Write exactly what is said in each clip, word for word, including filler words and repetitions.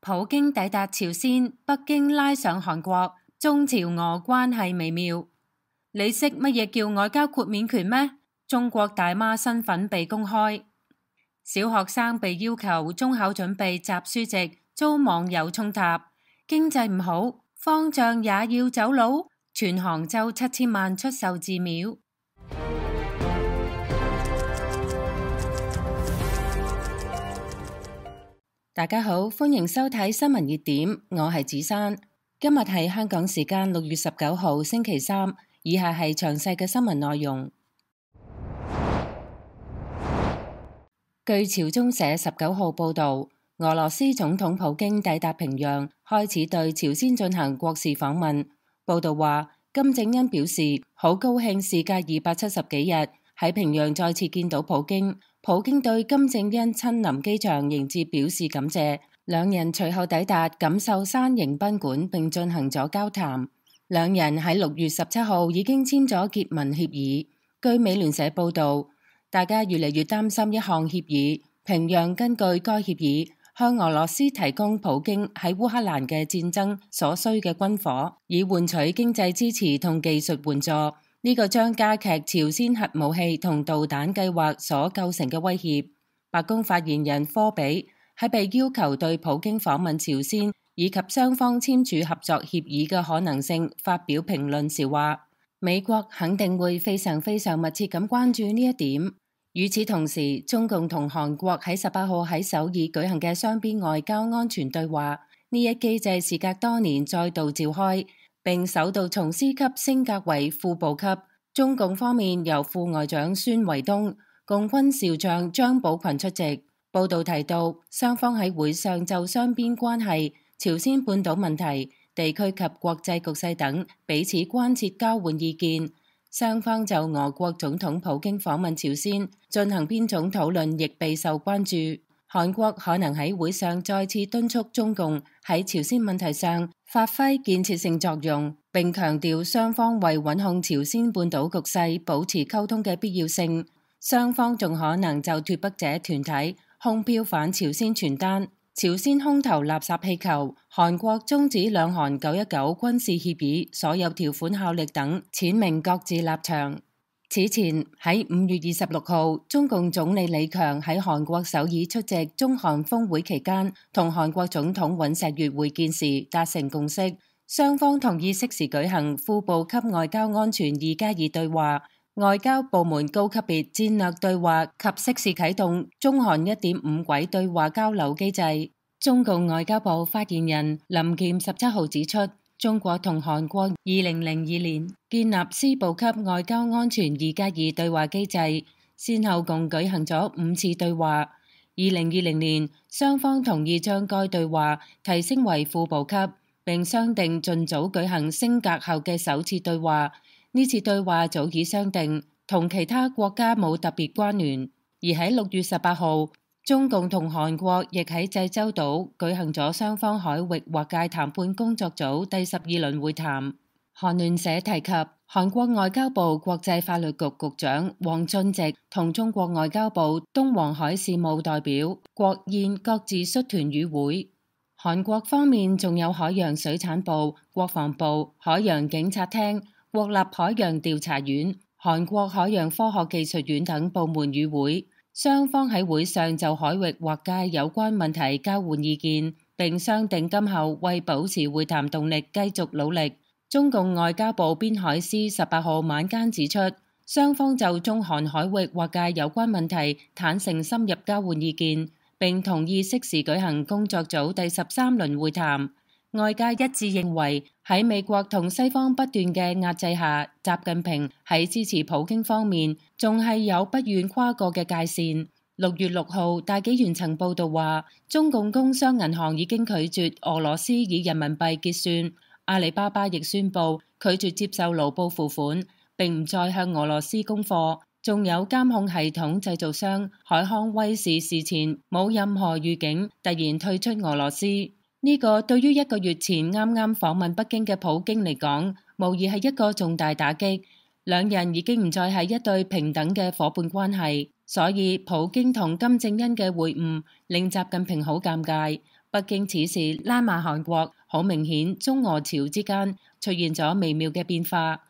普京抵達朝鮮，北京拉上韓國，中朝俄關係微妙。你識乜嘢叫外交豁免權咩？中國大媽身份被公開，小學生被要求中考準備集書籍，遭網友衝塔。經濟唔好，方丈也要走佬。全杭州七千萬出售寺廟。大家好，歡迎收睇新聞熱點，我係子珊。今日係香港時間六月十九號星期三，以下係詳細嘅新聞內容。據朝中社十九號報道，俄羅斯總統普京抵達平壤，開始對朝鮮進行國事訪問。報道話，金正恩表示好高興，事隔二百七十幾日喺平壤再次見到普京。普京對金正恩親臨機場迎接表示感謝，兩人隨後抵達錦繡山迎賓館並進行咗交談。兩人喺六月十七號已經簽咗結盟協議。據美聯社報道，大家越嚟越擔心一項協議，平壤根據該協議向俄羅斯提供普京喺烏克蘭嘅戰爭所需嘅軍火，以換取經濟支持同技術援助。呢個將加劇朝鮮核武器同導彈計劃所構成嘅威脅。白宮發言人科比喺被要求對普京訪問朝鮮以及雙方簽署合作協議嘅可能性發表評論時話，美國肯定會非常非常密切咁關注呢一點。與此同時，中共同韓國喺十八號喺首爾舉行嘅雙邊外交安全對話，呢一機制事隔多年再度召開，並首度從司級升格為副部級。中共方面由副外長孫維東、共軍少將張寶群出席。報道提到，雙方喺會上就雙邊關係、朝鮮半島問題、地區及國際局勢等彼此關切交換意見。雙方就俄國總統普京訪問朝鮮進行邊種討論亦備受關注。韓國可能喺會上再次敦促中共喺朝鮮問題上發揮建設性作用，並強調雙方為穩控朝鮮半島局勢保持溝通嘅必要性。雙方仲可能就脫北者團體控票反朝鮮傳單、朝鮮空投垃圾氣球、韓國終止兩韓九一九軍事協議所有條款效力等，闡明各自立場。此前喺五月二十六號，中共總理李強喺韓國首爾出席中韓峰會期間，同韓國總統尹錫悅會見時達成共識，雙方同意適時舉行副部級外交安全二加二對話、外交部門高級別戰略對話及適時啟動中韓一點五軌對話交流機制。中共外交部發言人林健十七號指出，中國同韓國二零零二年建立司部級外交安全二加二對話機制，先後共舉行咗五次對話。二零二零年，雙方同意將該對話提升為副部級，並商定盡早舉行升格後嘅首次對話。呢次對話早已商定，同其他國家冇特別關聯。而喺六月十八號，中共同韓國亦喺濟州島舉行咗雙方海域劃界談判工作組第十二輪會談。韓聯社提及，韓國外交部國際法律局局長黃俊植同中國外交部東黃海事務代表郭燕各自率團與會。韓國方面仲有海洋水產部、國防部、海洋警察廳、國立海洋調查院、韓國海洋科學技術院等部門與會。雙方喺會上就海域劃界有關問題交換意見，並商定今後為保持會談動力繼續努力。中共外交部邊海司十八號晚間指出，雙方就中韓海域劃界有關問題坦誠深入交換意見，並同意適時舉行工作組第十三輪會談。外界一致認為，喺美國同西方不斷嘅壓制下，習近平喺支持普京方面仲係有不願跨過嘅界線。六月六號，大紀元曾報道話，中共工商銀行已經拒絕俄羅斯以人民幣結算，阿里巴巴亦宣布拒絕接受盧布付款，並唔再向俄羅斯供貨。仲有監控系統製造商海康威視事前冇任何預警，突然退出俄羅斯。呢個對於一個月前啱啱訪問北京嘅普京嚟講，無疑係一個重大打擊。兩人已經唔再係一對平等嘅夥伴關係，所以普京同金正恩嘅會晤令習近平好尷尬。北京此時拉罵韓國，好明顯中俄朝之間出現咗微妙嘅變化。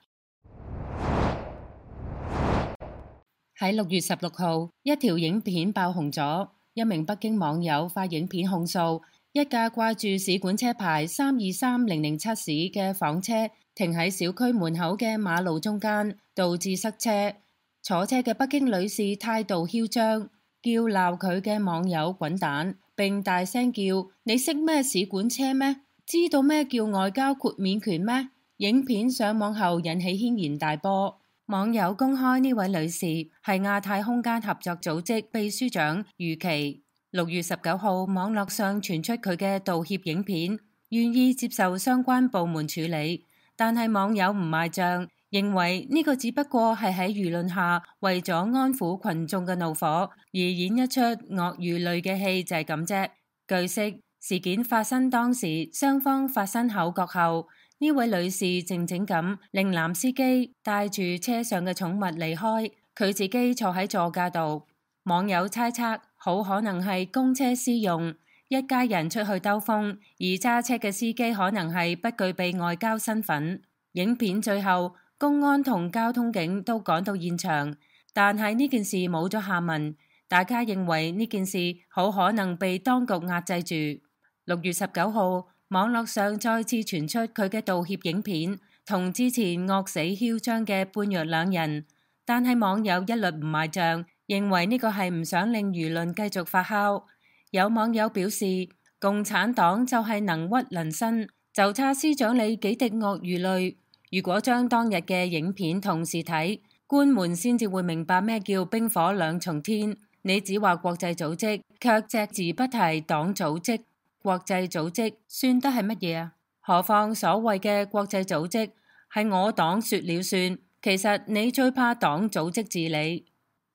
喺六月十六號，一條影片爆紅咗，一名北京網友發影片控訴，一架掛住使館車牌三二三零零七士嘅房車停喺小區門口嘅馬路中間，導致塞車。坐車嘅北京女士態度囂張，叫鬧佢嘅網友滾蛋，並大聲叫：你識咩使館車咩？知道咩叫外交豁免權咩？影片上網後引起軒然大波。網友公開呢位女士係亞太空間合作組織秘書長余琪。六月十九號，網絡上傳出佢嘅道歉影片，願意接受相關部門處理，但係網友唔賣賬，認為呢個只不過係喺輿論下為咗安撫群眾嘅怒火而演一出鱷魚淚嘅戲，就係咁啫。據悉，事件發生當時，雙方發生口角後，呢位女士靜靜咁令男司機帶住車上嘅寵物離開，佢自己坐喺座駕度。網友猜測，好可能係公車私用，一家人出去兜風，而揸車嘅司機可能係不具備外交身份。影片最後，公安同交通警都趕到現場，但係呢件事冇咗下文。大家認為呢件事好可能被當局壓制住。六月十九號，網絡上再次傳出佢嘅道歉影片，同之前惡死囂張嘅判若兩人，但係網友一律唔賣賬，認為呢個係唔想令輿論繼續發酵。有網友表示，共產黨就係能屈能伸，就差司長你幾滴鱷魚淚。如果將當日嘅影片同時睇，官們先至會明白咩叫冰火兩重天。你只話國際組織，卻隻字不提黨組織。國際組織算得係乜嘢啊？何況所謂嘅國際組織係我黨說了算，其實你最怕黨組織治理。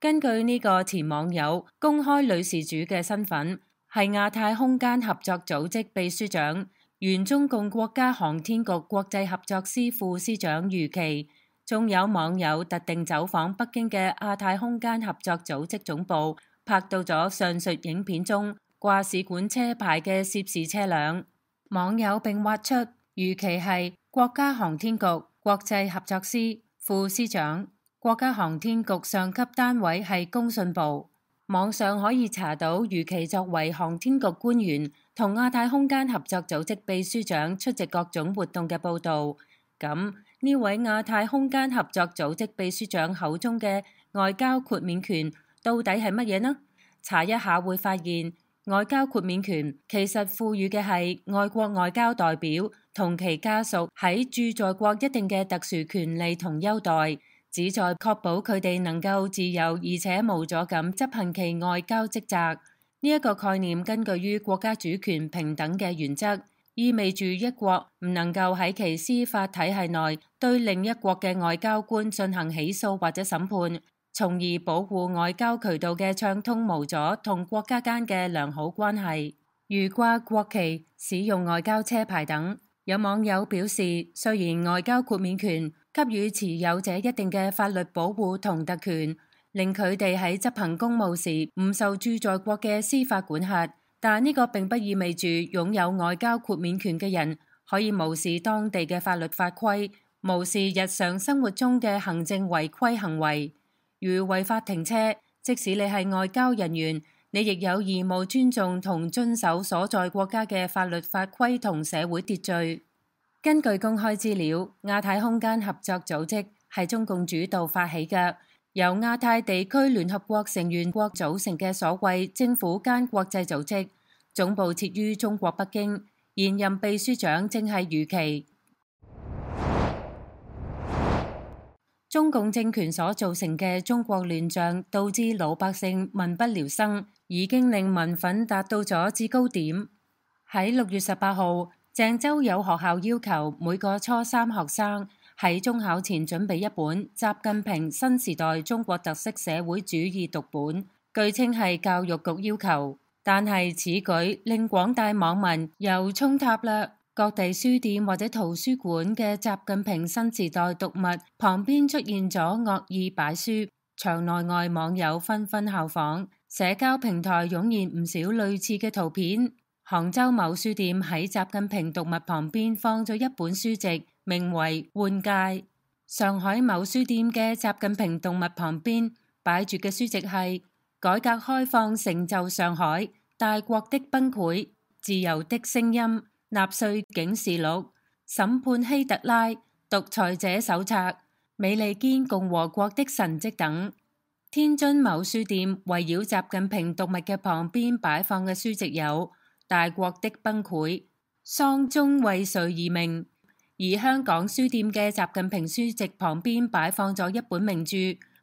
根據呢個前網友公開女事主嘅身份，係亞太空間合作組織秘書長、原中共國家航天局國際合作司副司長余琪，仲有網友特定走訪北京嘅亞太空間合作組織總部，拍到咗上述影片中掛使館車牌嘅涉事車輛。網友並挖出余琪係國家航天局國際合作司副司長，國家航天局上級單位係工信部。網上可以查到余琪作為航天局官員同亞太空間合作組織秘書長出席各種活動嘅報道。咁呢位亞太空間合作組織秘書長口中嘅外交豁免權到底係乜嘢呢？查一下會發現，外交豁免權其實賦予嘅係外國外交代表同其家屬喺駐在國一定嘅特殊權利同優待，旨在確保佢哋能夠自由而且無阻咁執行其外交職責。呢一個概念根據於國家主權平等嘅原則，意味住一國唔能夠喺其司法體系內對另一國嘅外交官進行起訴或者審判，從而保護外交渠道嘅暢通無阻同國家間嘅良好關係。如掛國旗、使用外交車牌等。有網友表示，雖然外交豁免權給予持有者一定嘅法律保護同特權，令佢哋喺執行公務時唔受駐在國嘅司法管轄，但呢個並不意味住擁有外交豁免權嘅人可以無視當地嘅法律法規，無視日常生活中嘅行政違規行為。如違法停車，即使你係外交人員，你亦有義務尊重同遵守所在國家嘅法律法規同社會秩序。根據公開資料，亞太空間合作組織係中共主導發起嘅，由亞太地區聯合國成員國組成嘅所謂政府間國際組織，總部設於中國北京，現任秘書長正係余琪。中共政權所造成嘅中國亂象，導致老百姓民不聊生，已經令民憤達到咗至高點。喺六月十八號，鄭州有學校要求每個初三學生喺中考前準備一本習近平新時代中國特色社會主義讀本，據稱係教育局要求，但係此舉令廣大網民又衝塔啦。各地書店或者圖書館嘅習近平新時代讀物旁邊出現咗惡意擺書，場內外網友紛紛效仿，社交平台湧現唔少類似嘅圖片。杭州某書店喺習近平讀物旁邊放咗一本書籍，名為《換屆》。上海某書店嘅習近平讀物旁邊擺住嘅書籍係《改革開放成就上海》、《大國的崩潰》、《自由的聲音》、《納粹警示錄》、《審判希特拉》、《獨裁者手冊》、《美利堅共和國的神蹟》等。天津某書店圍繞習近平讀物嘅旁邊擺放嘅書籍有《大國的崩潰》、《喪鐘為誰而鳴》，而香港書店嘅習近平書籍旁邊擺放咗一本名著，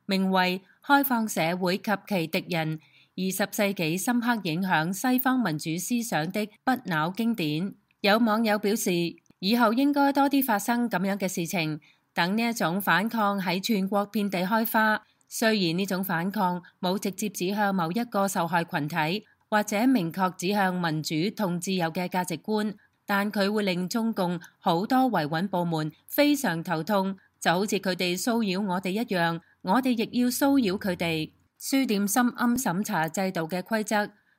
名為《開放社會及其敵人：二十世紀深刻影響西方民主思想的不朽經典》。有網友表示，以後應該多啲發生咁樣嘅事情，等呢一種反抗喺全國遍地開花。雖然呢種反抗冇直接指向某一個受害群體，或者明確指向民主同自由嘅價值觀，但佢會令中共好多維穩部門非常頭痛，就好似佢哋騷擾我哋一樣，我哋亦要騷擾佢哋。書店深諳審查制度嘅規則，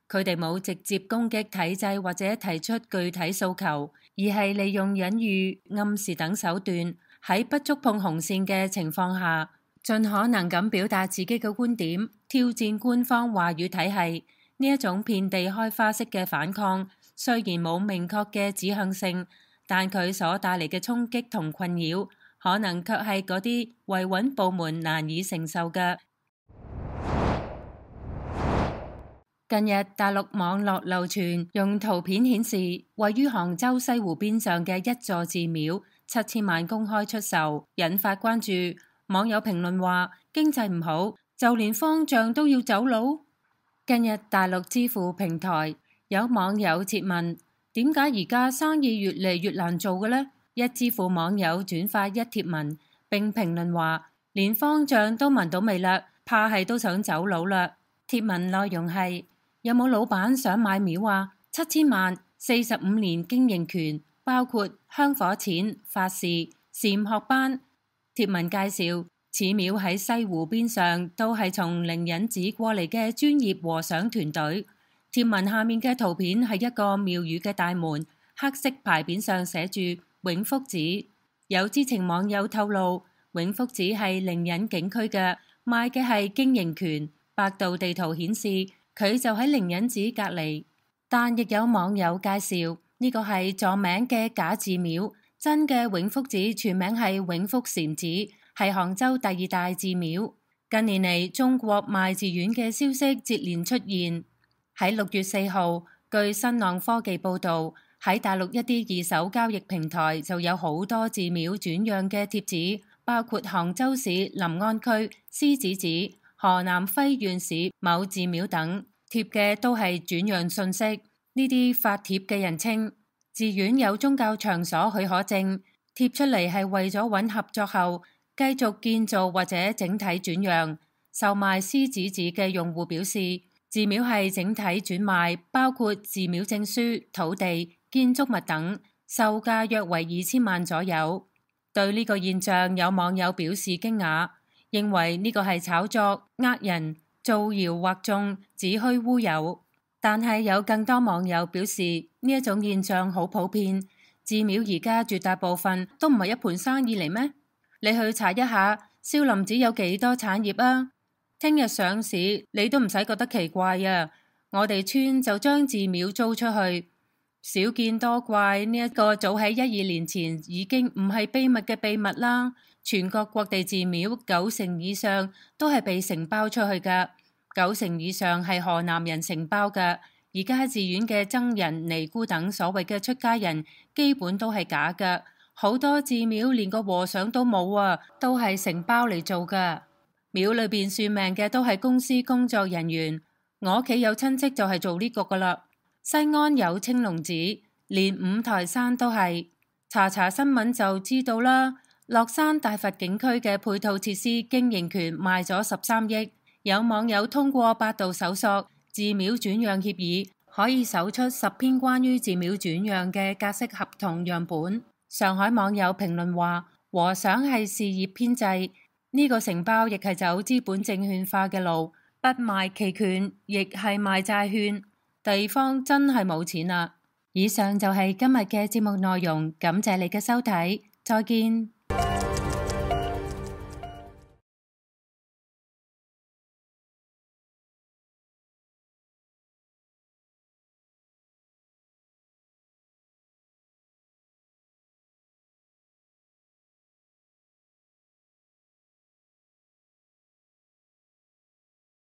佢哋冇直接攻擊體制或者提出具體訴求，而係利用隱喻、暗示等手段，喺不觸碰紅線嘅情況下，盡可能咁表達自己嘅觀點，挑戰官方話語體系。呢一種遍地開花式嘅反抗，雖然冇明確嘅指向性，但佢所帶嚟嘅衝擊同困擾，可能卻係嗰啲維穩部門難以承受嘅。近日大陸網絡流傳用圖片顯示，位於杭州西湖邊上嘅一座寺廟，七千萬公開出售，引發關注。網友評論話：經濟唔好，就連方丈都要走佬。近日大陸支付平台有網友設問：點解而家生意越嚟越難做嘅呢？一支付網友轉發一貼文，並評論話：連方丈都聞到味啦，怕係都想走佬啦。貼文內容係：有冇老闆想買廟啊？七千萬，四十五年經營權，包括香火錢、法事、禪學班。貼文介紹，此廟喺西湖邊上，都係從靈隱寺過嚟嘅專業和尚團隊。貼文下面嘅圖片係一個廟宇嘅大門，黑色牌匾上寫住永福寺。有知情網友透露，永福寺係靈隱景區嘅，賣嘅係經營權。百度地圖顯示佢就喺靈隱寺隔離，但亦有網友介紹呢個係撞名嘅假寺廟。真嘅永福寺全名係永福禪寺，係杭州第二大寺廟。近年嚟，中國賣寺院嘅消息接連出現。喺六月四號，據新浪科技報道，喺大陸一啲二手交易平台就有好多寺廟轉讓嘅貼紙，包括杭州市臨安區獅子寺、河南輝縣市某寺廟等，貼嘅都係轉讓信息。呢啲發帖嘅人稱寺院有宗教場所許可證，貼出嚟係為咗揾合作後繼續建造或者整體轉讓。售賣獅子寺嘅用戶表示，寺廟係整體轉賣，包括寺廟證書、土地、建築物等，售價約為二千萬左右。對呢個現象，有網友表示驚訝，認為呢個係炒作、呃人、造謠惑眾、子虛烏有。但係有更多網友表示，呢一種現象好普遍，寺廟而家絕大部分都唔係一盤生意嚟咩？你去查一下少林寺有幾多產業啊？聽日上市，你都唔使覺得奇怪啊！我哋村就將寺廟租出去，少見多怪。呢一個早喺一二年前已經唔係秘密嘅秘密啦。全國各地寺廟九成以上都係被承包出去噶。九成以上係河南人承包嘅，而家寺院嘅僧人、尼姑等所謂嘅出家人，基本都係假嘅。好多寺廟連個和尚都冇啊，都係承包嚟做嘅。廟裏邊算命嘅都係公司工作人員。我屋企有親戚就係做呢個噶啦。西安有青龍寺，連五台山都係。查查新聞就知道啦。樂山大佛景區嘅配套設施經營權賣咗十三億。有網友通過百度搜索寺廟轉讓協議，可以搜出十篇關於寺廟轉讓嘅格式合同樣本。上海網友評論話：和尚係事業編制，呢個承包亦係走資本證券化嘅路，不賣期權亦係賣債券，地方真係冇錢啦。以上就係今日嘅節目內容，感謝你嘅收睇，再見。